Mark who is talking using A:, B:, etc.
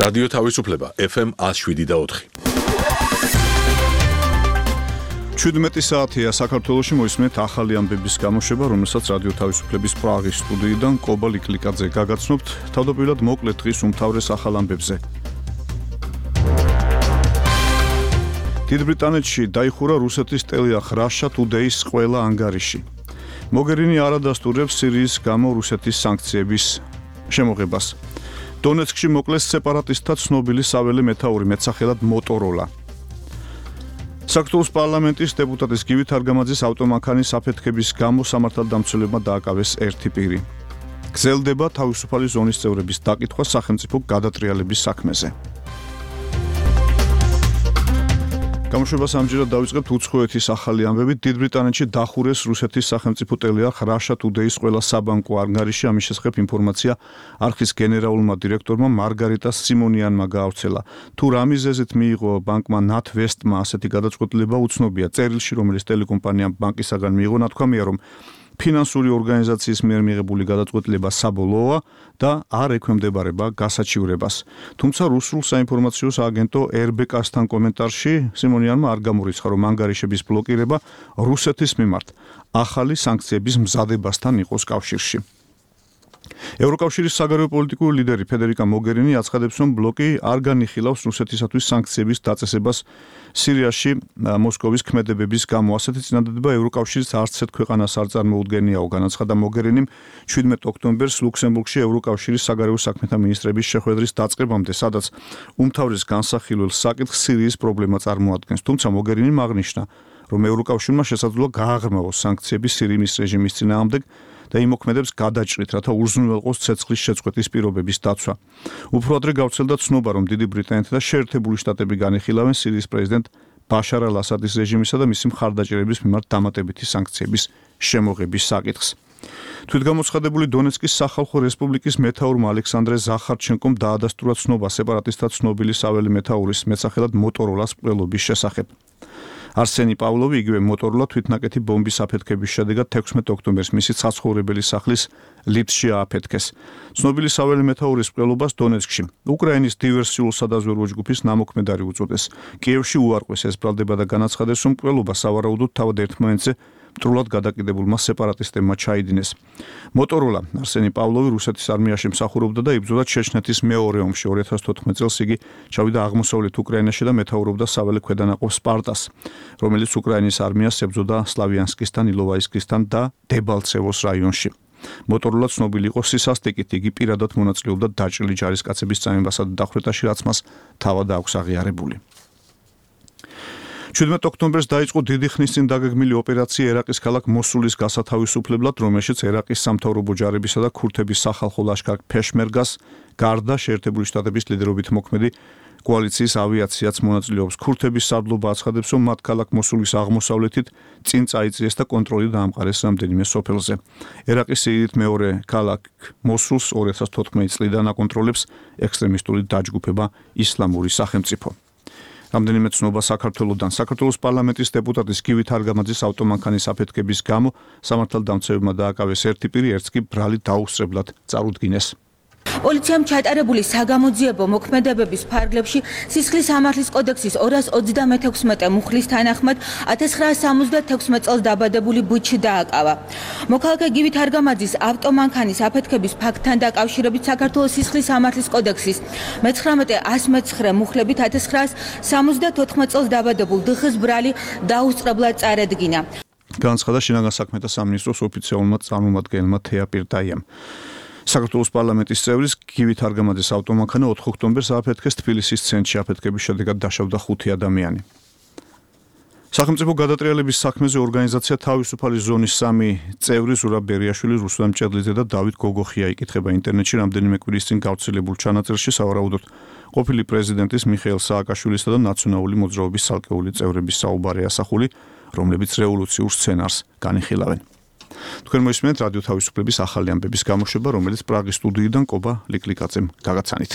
A: რადიო თავისუფლება FM 107.4.
B: 17 საათია საქართველოში მოისმენთ ახალი ამბების გამოშვება, რომელსაც რადიო თავისუფლების პრაღის სტუდიიდან კობა ლიკლიკაძე გაგაცნობთ. თავდაპირველად მოკლედ დღის უმთავრეს ახალ ამბებზე. დიდ ბრიტანეთში დაიხურა რუსეთის ტელეარხ Russia Today-ის ყველა ანგარიში. მოგერინი არ ადასტურებს სირიის გამო რუსეთის სანქციების შემოღებას. დონეცკში მოკლეს სეპარატისტთა ცნობილი საველე მეთაური მეტსახელად მოტოროლა. საქართველოს პარლამენტის დეპუტატის გივით არგამაძის ავტომანქანის აფეთქების გამო სამართალდამცველებმა დააკავეს ერთი პირი. გრძელდება თავისუფალი ზონის წევრების დაკითხვა სახელმწიფო გადატრიალების საქმეზე. გამოშვებას ამჯერად დავიწყებთ უცხოეთის ახალი ამბებით. დიდ ბრიტანეთში დახურეს რუსეთის სახელმწიფო ტელეარხ Russia Today-ის ყველა საბანკო ანგარიში. ამის შესახებ ინფორმაცია არხის გენერალურმა დირექტორმა მარგარიტა სიმონიანმა გაავრცელა. თუ რა მიზეზით მიიღო ბანკმა NatWest-მა ასეთი გადაწყვეტილება უცნობია. წერილში, რომელიც ტელეკომპანიამ ბანკისაგან მიიღო, ნათქვამია, რომ ფინანსური ორგანიზაციის მიერ მიღებული გადაწყვეტილება საბოლოოა და არ ექვემდებარება გასაჩივრებას. თუმცა რუსულ საინფორმაციო სააგენტო RBK-სთან კომენტარში სიმონიანმა არ გამორიცხა, რომ ანგარიშების ბლოკირება რუსეთის მიმართ ახალი სანქციების მზადებასთან იყოს კავშირში. ევროკავშირის საგარეო პოლიტიკური ლიდერი ფედერიკა მოგერინი აცხადებს, რომ ბლოკი არ განიხილავს რუსეთისათვის სანქციების დაწესებას სირიაში მოსკოვის ქმედებების გამო. ასეთი წინადადება ევროკავშირის არც ერთ ქვეყანას არ წარმოუდგენიაო, განაცხადა მოგერინიმ 17 ოქტომბერს ლუქსემბურგში ევროკავშირის საგარეო საქმეთა მინისტრების შეხვედრის დაწყებამდე, სადაც უმთავრეს განსახილველ საკითხს სირიის პრობლემა წარმოადგენს. თუმცა მოგერინიმ აღნიშნა, რომ ევროკავშირმა შესაძლოა გააღრმავოს სანქციები სირიის რეჟიმის წინააღმდეგ და იმოქმედებს გადაჭრით, რათა უზრუნველყოს ცეცხლის შეწყვეტის პირობების დაცვა. უფრო ადრე გავრცელდა ცნობა, რომ დიდი ბრიტანეთი და შეერთებული შტატები განიხილავენ სირიის პრეზიდენტ ბაშარ ალ-ასადის რეჟიმისა და მისი მხარდაჭერების მიმართ დამატებითი სანქციების შემოღების საკითხს. თვითგამოცხადებული დონეცკის სახალხო რესპუბლიკის მეთაურმა ალექსანდრე ზახარჩენკომ დაადასტურა ცნობა სეპარატისტთა ცნობილი საველე მეთაურის მეტსახელად მოტოროლას მკვლელობის შესახებ. არსენი პავლოვი, იგივე მოტოროლა თვითნაკეთი ბომბის აფეთქების შედეგად 16 ოქტომბერს მისი საცხოვრებელი სახლის ლიფტში ააფეთქეს. ცნობილი საველე მეთაურის მკვლელობას დონეცკში უკრაინის დივერსიულ სადაზვერვო ჯგუფის ნამოქმედარი უწოდეს. კიევში უარყვეს ეს ბრალდება და განაცხადეს, რომ მკვლელობა სავარაუდოდ თავად ერთმანეთზე მტრულად გადაკიდებულმა სეპარატისტებმა ჩაიდინეს. მოტოროლა არსენი პავლოვი რუსეთის არმიაში მსახურობდა და იბრძოდა ჩეჩნეთის მეორე ომში. 2014 წელს იგი ჩავიდა აღმოსავლეთ უკრაინაში და მეთაურობდა საველე ქვედანაყოფ სპარტას, რომელიც უკრაინის არმიას ებრძოდა სლავიანსკისთან, ილოვაისკისთან და დებალცევოს რაიონში. მოტოროლა ცნობილი იყო სისასტიკით, იგი პირადად მონაწილეობდა დაჭრილი ჯარისკაცების წამებასა და დახვრეტაში, რაც მას თავად აქვს აღიარებული. 17 ოქტომბერს დაიწყო დიდი ხნის წინ დაგეგმილი ოპერაცია ერაყის ქალაქ მოსულის გასათავისუფლებლად, რომელშიც ერაყის სამთავრობო ჯარებისა და ქურთების სახალხო ლაშქარ ფეშმერგას გარდა შეერთებული შტატების ლიდერობით მოქმედი კოალიციის ავიაციაც მონაწილეობს. ქურთების სარდლობა აცხადებს, რომ მათ ქალაქ მოსულის აღმოსავლეთით წინ წაიწიეს და კონტროლი დაამყარეს რამდენიმე სოფელზე. ერაყის სიდიდით მეორე ქალაქ მოსულს 2014 წლიდან აკონტროლებს ექსტრემისტული დაჯგუფება ისლამური სახელმწიფო. რამდენიმე ცნობა საქართველოსთან. საქართველოს პარლამენტის დეპუტატის გივით არგამაძის ავტომანქანის აფეთქების გამო სამართალდამცველებმა დააკავეს ერთი პირი, ერთს კი ბრალი დაუსწრებლად წარუდგინეს.
C: პოლიციამ ჩატარებული საგამოძიებო მოქმედებების ფარგლებში სისხლის სამართლის კოდექსის 236 მუხლის თანახმად 1976 წელს დაბადებული ბუჩი დააკავა. მოქალაქე გივით არგამაძის ავტომანქანის აფეთქების ფაქტთან დაკავშირებით საქართველოს სისხლის სამართლის კოდექსის 19-109 მუხლებით 1974 წელს დაბადებულ დხ-ს ბრალი დაუსწრებლად წარედგინა.
B: განაცხადა შინაგან საქმეთა სამინისტროს ოფიციალურმა წარმომადგენელმა თეა პირდაიამ. საქართველოს პარლამენტის წევრის გივით არგამაძის ავტომანქანა 4 ოქტომბერს ააფეთქეს თბილისის ცენტრში. აფეთქების შედეგად დაშავდა 5 ადამიანი. სახელმწიფო გადატრიალების საქმეზე ორგანიზაცია თავისუფალი ზონის 3 წევრი ზურაბ ბერიაშვილი, რუსლან მჭედლიძე და დავით გოგოხია იკითხება ინტერნეტში რამდენიმე კვირის წინ გავრცელებულ ჩანაწერში, სავარაუდოდ ყოფილი პრეზიდენტის მიხეილ სააკაშვილისა და ნაციონალური მოძრაობის ცალკეული წევრების საუბარი ასახული, რომლებიც რევოლუციურ სცენარს განიხილავენ. თქვენ მოისმენთ რადიო თავისუფლების ახალი ამბების გამოშვება, რომელიც პრაღის სტუდიიდან კობა ლიკლიკაძემ გაგაცანით.